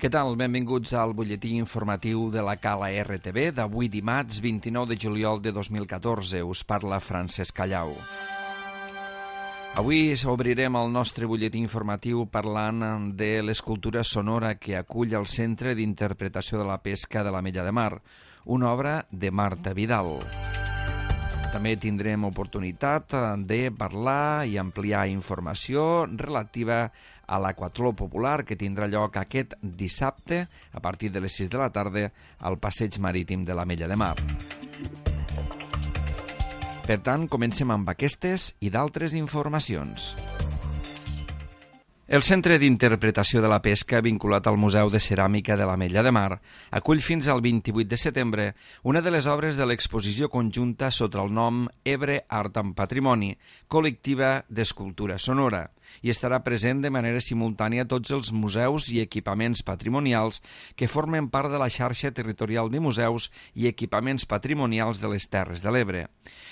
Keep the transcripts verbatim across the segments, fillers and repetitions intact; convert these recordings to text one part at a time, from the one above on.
Què tal? Benvinguts al butlletí informatiu de la Cala R T V d'avui dimarts vint-i-nou de juliol de dos mil catorze. Us parla Francesc Callau. Avui obrirem el nostre butlletí informatiu parlant de l'escultura sonora que acull el Centre d'Interpretació de la Pesca de l'Ametlla de Mar, una obra de Marta Vidal. També tindrem oportunitat de parlar i ampliar informació relativa a l'Aquatló Popular que tindrà lloc aquest dissabte a partir de les sis de la tarda al Passeig Marítim de l'Ametlla de Mar. Per tant, comencem amb aquestes i d'altres informacions. El Centre d'Interpretació de la Pesca, vinculat al Museu de Ceràmica de l'Ametlla de Mar, acull fins al vint-i-vuit de setembre una de les obres de l'exposició conjunta sota el nom Ebre Art en Patrimoni, col·lectiva d'escultura sonora, i estarà present de manera simultània a tots els museus i equipaments patrimonials que formen part de la xarxa territorial de museus i equipaments patrimonials de les Terres de l'Ebre.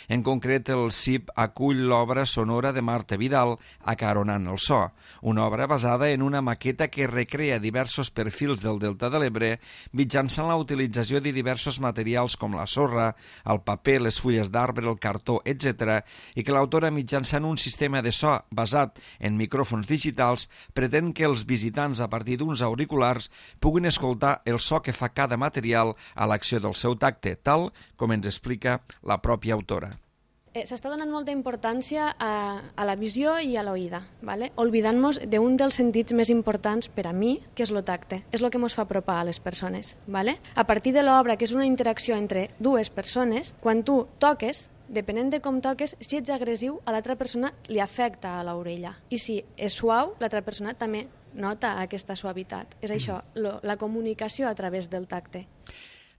En concret, el C I P acull l'obra sonora de Marta Vidal, Acaronant el so, una obra basada en una maqueta que recrea diversos perfils del Delta de l'Ebre mitjançant la utilització de diversos materials com la sorra, el paper, les fulles d'arbre, el cartó, etcètera, i que l'autora, mitjançant un sistema de so basat en micròfons digitals, pretén que els visitants, a partir d'uns auriculars, puguin escoltar el so que fa cada material a l'acció del seu tacte, tal com ens explica la pròpia autora. Eh, S'està donant molta importància a, a la visió i a l'oïda, ¿vale? Oblidant-nos d'un dels sentits més importants per a mi, que és el tacte. És el que ens fa apropar a les persones. ¿Vale? A partir de l'obra, que és una interacció entre dues persones, quan tu toques, depenent de com toques, si ets agressiu, a l'altra persona li afecta a l'orella. I si és suau, l'altra persona també nota aquesta suavitat. És això, lo, la comunicació a través del tacte.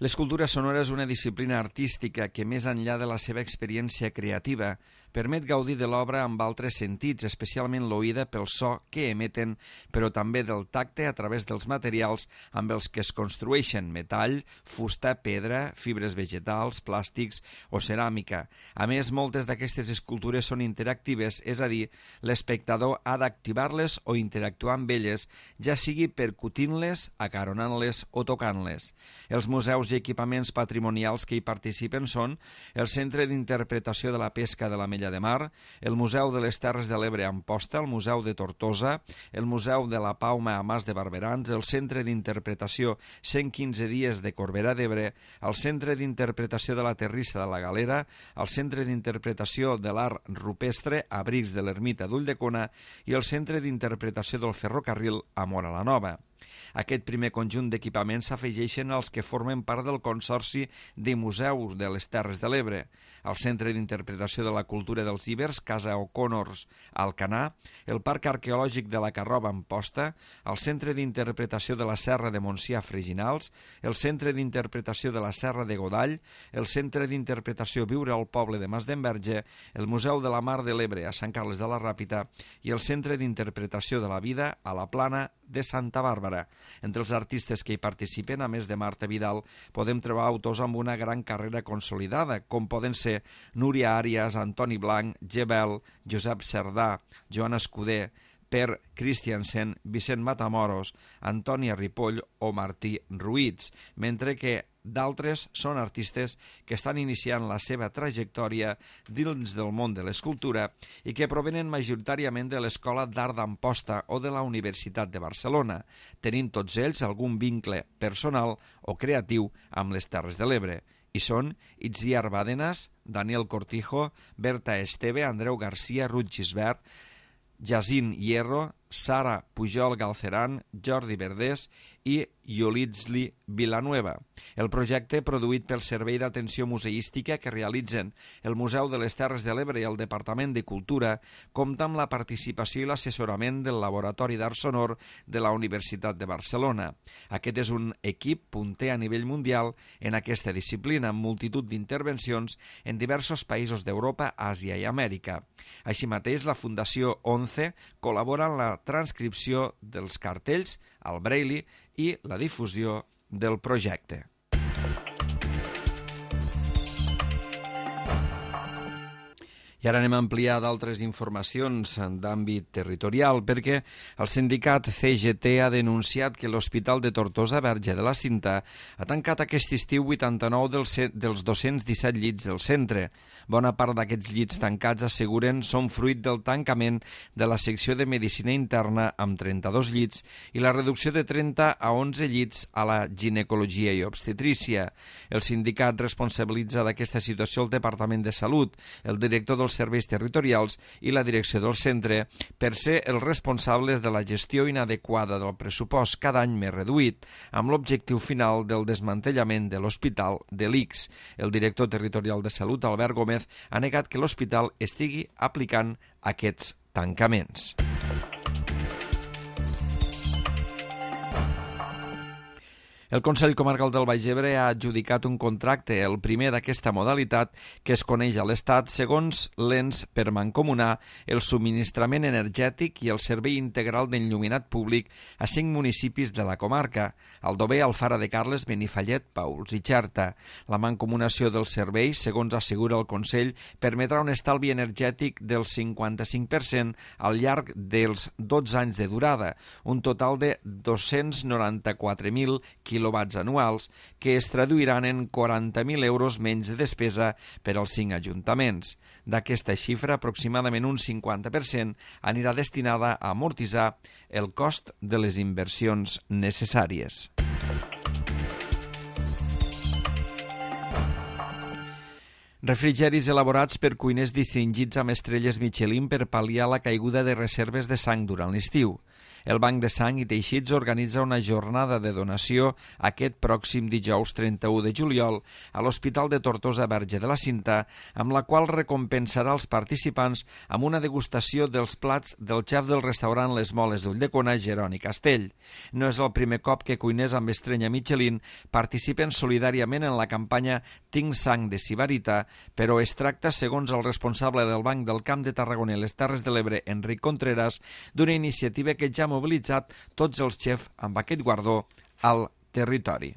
L'escultura sonora és una disciplina artística que, més enllà de la seva experiència creativa, permet gaudir de l'obra amb altres sentits, especialment l'oïda pel so que emeten, però també del tacte a través dels materials amb els que es construeixen: metall, fusta, pedra, fibres vegetals, plàstics o ceràmica. A més, moltes d'aquestes escultures són interactives, és a dir, l'espectador ha d'activar-les o interactuar amb elles, ja sigui percutint-les, acaronant-les o tocant-les. Els museus i equipaments patrimonials que hi participen són el Centre d'Interpretació de la Pesca de l'Ametlla de Mar, el Museu de les Terres de l'Ebre a Amposta, el Museu de Tortosa, el Museu de la Pauma a Mas de Barberans, el Centre d'Interpretació cent quinze dies de Corbera d'Ebre, el Centre d'Interpretació de la Terrissa de la Galera, el Centre d'Interpretació de l'Art Rupestre, Abrics de l'Ermita d'Ulldecona i el Centre d'Interpretació del Ferrocarril a Móra la Nova. Aquest primer conjunt d'equipaments s'afegeixen als que formen part del Consorci de Museus de les Terres de l'Ebre, el Centre d'Interpretació de la Cultura dels Ibers, Casa O'Connors, Alcanar, el Parc Arqueològic de la Carroba, Amposta, el Centre d'Interpretació de la Serra de Montsià, Freginals, el Centre d'Interpretació de la Serra de Godall, el Centre d'Interpretació Viure al Poble de Masdenverge, el Museu de la Mar de l'Ebre a Sant Carles de la Ràpita i el Centre d'Interpretació de la Vida a la Plana de Santa Bàrbara. Entre els artistes que hi participen, a més de Marta Vidal, podem trobar autors amb una gran carrera consolidada, com poden ser Núria Àrias, Antoni Blanc, Gebel, Josep Cerdà, Joan Escuder, Per Christiansen, Vicent Matamoros, Antònia Ripoll o Martí Ruiz, mentre que d'altres són artistes que estan iniciant la seva trajectòria dins del món de l'escultura i que provenen majoritàriament de l'Escola d'Art d'Amposta o de la Universitat de Barcelona, tenint tots ells algun vincle personal o creatiu amb les Terres de l'Ebre. I són Itziar Bàdenas, Daniel Cortijo, Berta Esteve, Andreu Garcia, Ruth Gisbert, Jacint Hierro, Sara Pujol Galceran, Jordi Verdés i Yolitzli Villanueva. El projecte, produït pel Servei d'Atenció Museística que realitzen el Museu de les Terres de l'Ebre i el Departament de Cultura, compta amb la participació i l'assessorament del Laboratori d'Art Sonor de la Universitat de Barcelona. Aquest és un equip punter a nivell mundial en aquesta disciplina, amb multitud d'intervencions en diversos països d'Europa, Àsia i Amèrica. Així mateix, la Fundació ONCE col·labora en la transcripció dels cartells al Braille i la difusió del projecte. I ara anem a ampliar d'altres informacions d'àmbit territorial perquè el sindicat C G T ha denunciat que l'Hospital de Tortosa Verge de la Cinta ha tancat aquest estiu vuitanta-nou dels, dels dos-cents disset llits del centre. Bona part d'aquests llits tancats, asseguren, són fruit del tancament de la secció de Medicina Interna amb trenta-dos llits i la reducció de trenta a onze llits a la ginecologia i obstetrícia. El sindicat responsabilitza d'aquesta situació el Departament de Salut, el director dels serveis territorials i la direcció del centre per ser els responsables de la gestió inadequada del pressupost cada any més reduït, amb l'objectiu final del desmantellament de l'hospital de l'I C S. El director territorial de Salut, Albert Gómez, ha negat que l'hospital estigui aplicant aquests tancaments. El Consell Comarcal del Baix Ebre ha adjudicat un contracte, el primer d'aquesta modalitat, que es coneix a l'Estat segons l'ens per mancomunar el subministrament energètic i el servei integral d'enlluminat públic a cinc municipis de la comarca: Aldover, Alfara de Carles, Benifallet, Pauls i Xerta. La mancomunació dels serveis, segons assegura el Consell, permetrà un estalvi energètic del cinquanta-cinc per cent al llarg dels dotze anys de durada, un total de dos-cents noranta-quatre mil quilowatts anuals, que es traduiran en quaranta mil euros menys de despesa per als cinc ajuntaments. D'aquesta xifra, aproximadament un cinquanta per cent anirà destinada a amortitzar el cost de les inversions necessàries. Refrigeris elaborats per cuiners distingits amb estrelles Michelin per pal·liar la caiguda de reserves de sang durant l'estiu. El Banc de Sang i Teixits organitza una jornada de donació aquest pròxim dijous trenta-u de juliol a l'Hospital de Tortosa Verge de la Cinta, amb la qual recompensarà els participants amb una degustació dels plats del xef del restaurant Les Moles d'Ulldecona, Jeroni Castell. No és el primer cop que cuiners amb estrella Michelin participen solidàriament en la campanya Tinc sang de Sibarita, però es tracta, segons el responsable del Banc del Camp de Tarragona i les Terres de l'Ebre, Enric Contreras, d'una iniciativa que ja ha mobilitzat tots els xefs amb aquest guardó al territori.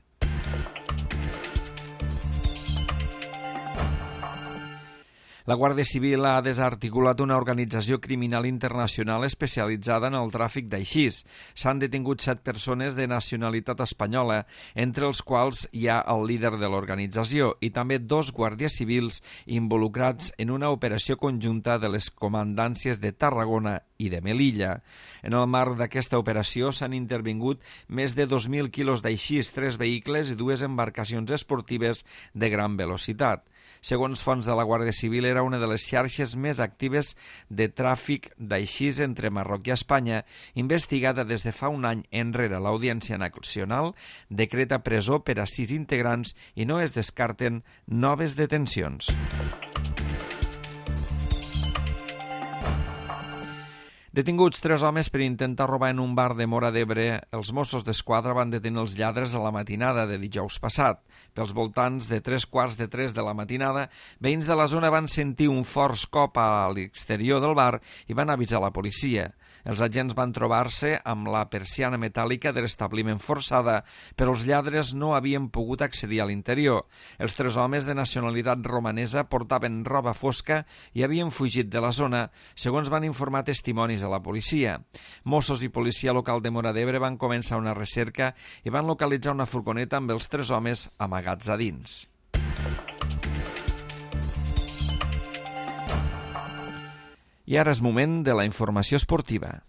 La Guàrdia Civil ha desarticulat una organització criminal internacional especialitzada en el tràfic d'aixís. S'han detingut set persones de nacionalitat espanyola, entre els quals hi ha el líder de l'organització i també dos guàrdies civils involucrats en una operació conjunta de les comandàncies de Tarragona i de Melilla. En el marc d'aquesta operació s'han intervingut més de dos mil quilos d'aixís, tres vehicles i dues embarcacions esportives de gran velocitat. Segons fonts de la Guàrdia Civil, era una de les xarxes més actives de tràfic d'aixís entre Marroc i Espanya, investigada des de fa un any enrere. L'Audiència Nacional decreta presó per a sis integrants i no es descarten noves detencions. Detinguts tres homes per intentar robar en un bar de Móra d'Ebre, els Mossos d'Esquadra van detenir els lladres a la matinada de dijous passat. Pels voltants de tres quarts de tres de la matinada, veïns de la zona van sentir un fort cop a l'exterior del bar i van avisar la policia. Els agents van trobar-se amb la persiana metàl·lica de l'establiment forçada, però els lladres no havien pogut accedir a l'interior. Els tres homes de nacionalitat romanesa portaven roba fosca i havien fugit de la zona, segons van informar testimonis a la policia. Mossos i policia local de Móra d'Ebre van començar una recerca i van localitzar una furgoneta amb els tres homes amagats a dins. I ara és moment de la informació esportiva.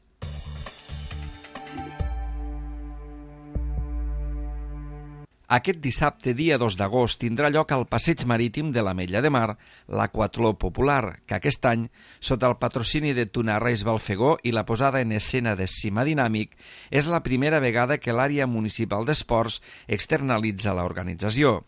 Aquest dissabte, dia dos d'agost, tindrà lloc al Passeig Marítim de l'Ametlla de Mar l'Aquatló Popular, que aquest any, sota el patrocini de Tunarreis Balfegó i la posada en escena de Cima Dinàmic, és la primera vegada que l'àrea municipal d'esports externalitza l'organització.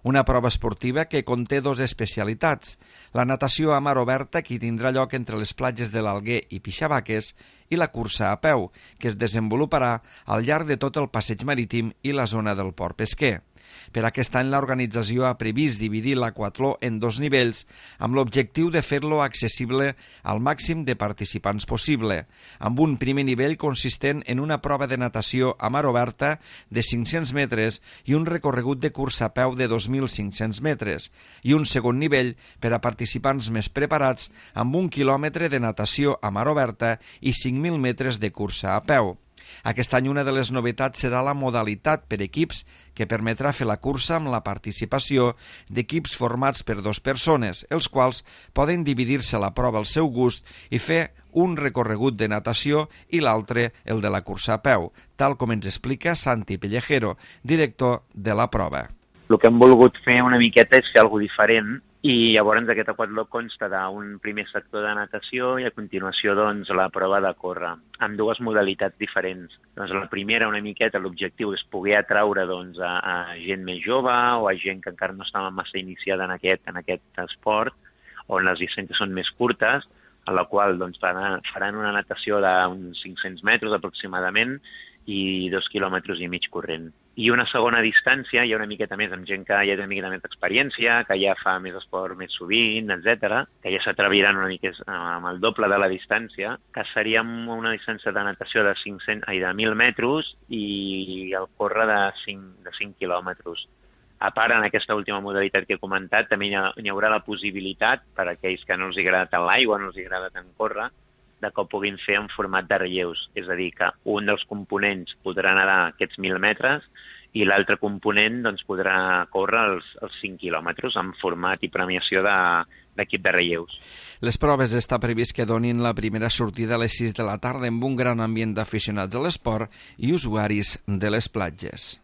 Una prova esportiva que conté dues especialitats: la natació a mar oberta, que tindrà lloc entre les platges de l'Alguer i Pixabaques, i la cursa a peu, que es desenvoluparà al llarg de tot el passeig marítim i la zona del port pesquer. Per aquest any l'organització ha previst dividir l'aquatló en dos nivells amb l'objectiu de fer-lo accessible al màxim de participants possible, amb un primer nivell consistent en una prova de natació a mar oberta de cinc-cents metres i un recorregut de cursa a peu de dos mil cinc-cents metres, i un segon nivell per a participants més preparats amb un quilòmetre de natació a mar oberta i cinc mil metres de cursa a peu. Aquest any una de les novetats serà la modalitat per equips que permetrà fer la cursa amb la participació d'equips formats per dues persones, els quals poden dividir-se la prova al seu gust i fer un recorregut de natació i l'altre el de la cursa a peu, tal com ens explica Santi Pellejero, director de la prova. El que hem volgut fer una miqueta és fer alguna cosa diferent i llavors aquest aquatló consta d'un primer sector de natació i a continuació doncs, la prova de córrer, amb dues modalitats diferents. Doncs, la primera, una miqueta, l'objectiu és poder atraure doncs, a, a gent més jove o a gent que encara no estava massa iniciada en aquest, en aquest esport, on les distàncies són més curtes, en la qual doncs, faran, faran una natació d'uns cinc-cents metres aproximadament i dos quilòmetres i mig corrent. I una segona distància, hi ha una miqueta més amb gent que ja té una miqueta més d'experiència, que ja fa més esport més sovint, etcètera, que ja s'atreviran una mica amb el doble de la distància, que seria una distància de natació de, cinc-cents, ai, de mil metres i el córrer de cinc, de cinc quilòmetres. A part, en aquesta última modalitat que he comentat, també hi, ha, hi haurà la possibilitat, per a aquells que no els agrada tant l'aigua, no els agrada tant córrer, de que ho puguin fer en format de relleus. És a dir, que un dels components podrà nedar aquests mil metres i l'altre component doncs, podrà córrer els, els cinc quilòmetres en format i premiació de, d'equip de relleus. Les proves està previst que donin la primera sortida a les sis de la tarda amb un gran ambient d'aficionats de l'esport i usuaris de les platges.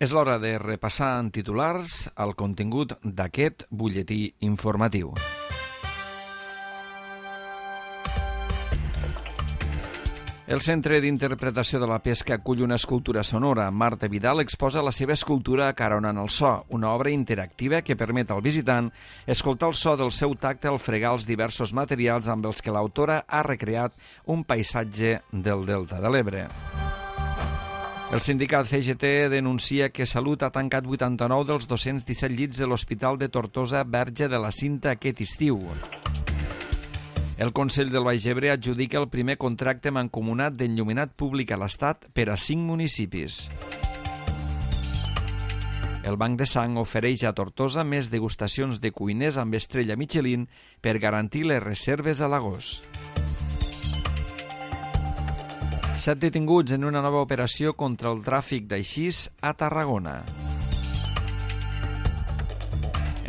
És l'hora de repassar en titulars el contingut d'aquest butlletí informatiu. El Centre d'Interpretació de la Pesca acull una escultura sonora. Marta Vidal exposa la seva escultura Acaronant el so, una obra interactiva que permet al visitant escoltar el so del seu tacte al fregar els diversos materials amb els que l'autora ha recreat un paisatge del Delta de l'Ebre. El sindicat C G T denuncia que Salut ha tancat vuitanta-nou dels dos-cents disset llits de l'Hospital de Tortosa Verge de la Cinta aquest estiu. El Consell del Baix Ebre adjudica el primer contracte mancomunat d'enllumenat públic a l'Estat per a cinc municipis. El Banc de Sang ofereix a Tortosa més degustacions de cuiners amb estrella Michelin per garantir les reserves a l'agost. Set detinguts en una nova operació contra el tràfic d'aixís a Tarragona.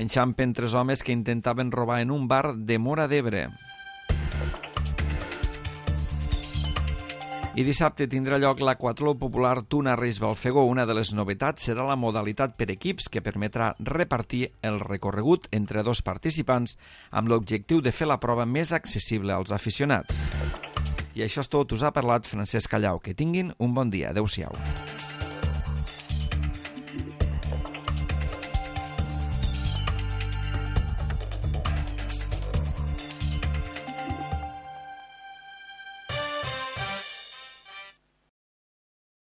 Enxampen tres homes que intentaven robar en un bar de Móra d'Ebre. I dissabte tindrà lloc l'aquatló popular Tuna Reis Balfegó. Una de les novetats serà la modalitat per equips que permetrà repartir el recorregut entre dos participants amb l'objectiu de fer la prova més accessible als aficionats. I això és tot, us ha parlat Francesc Callau. Que tinguin un bon dia. Adéu-siau.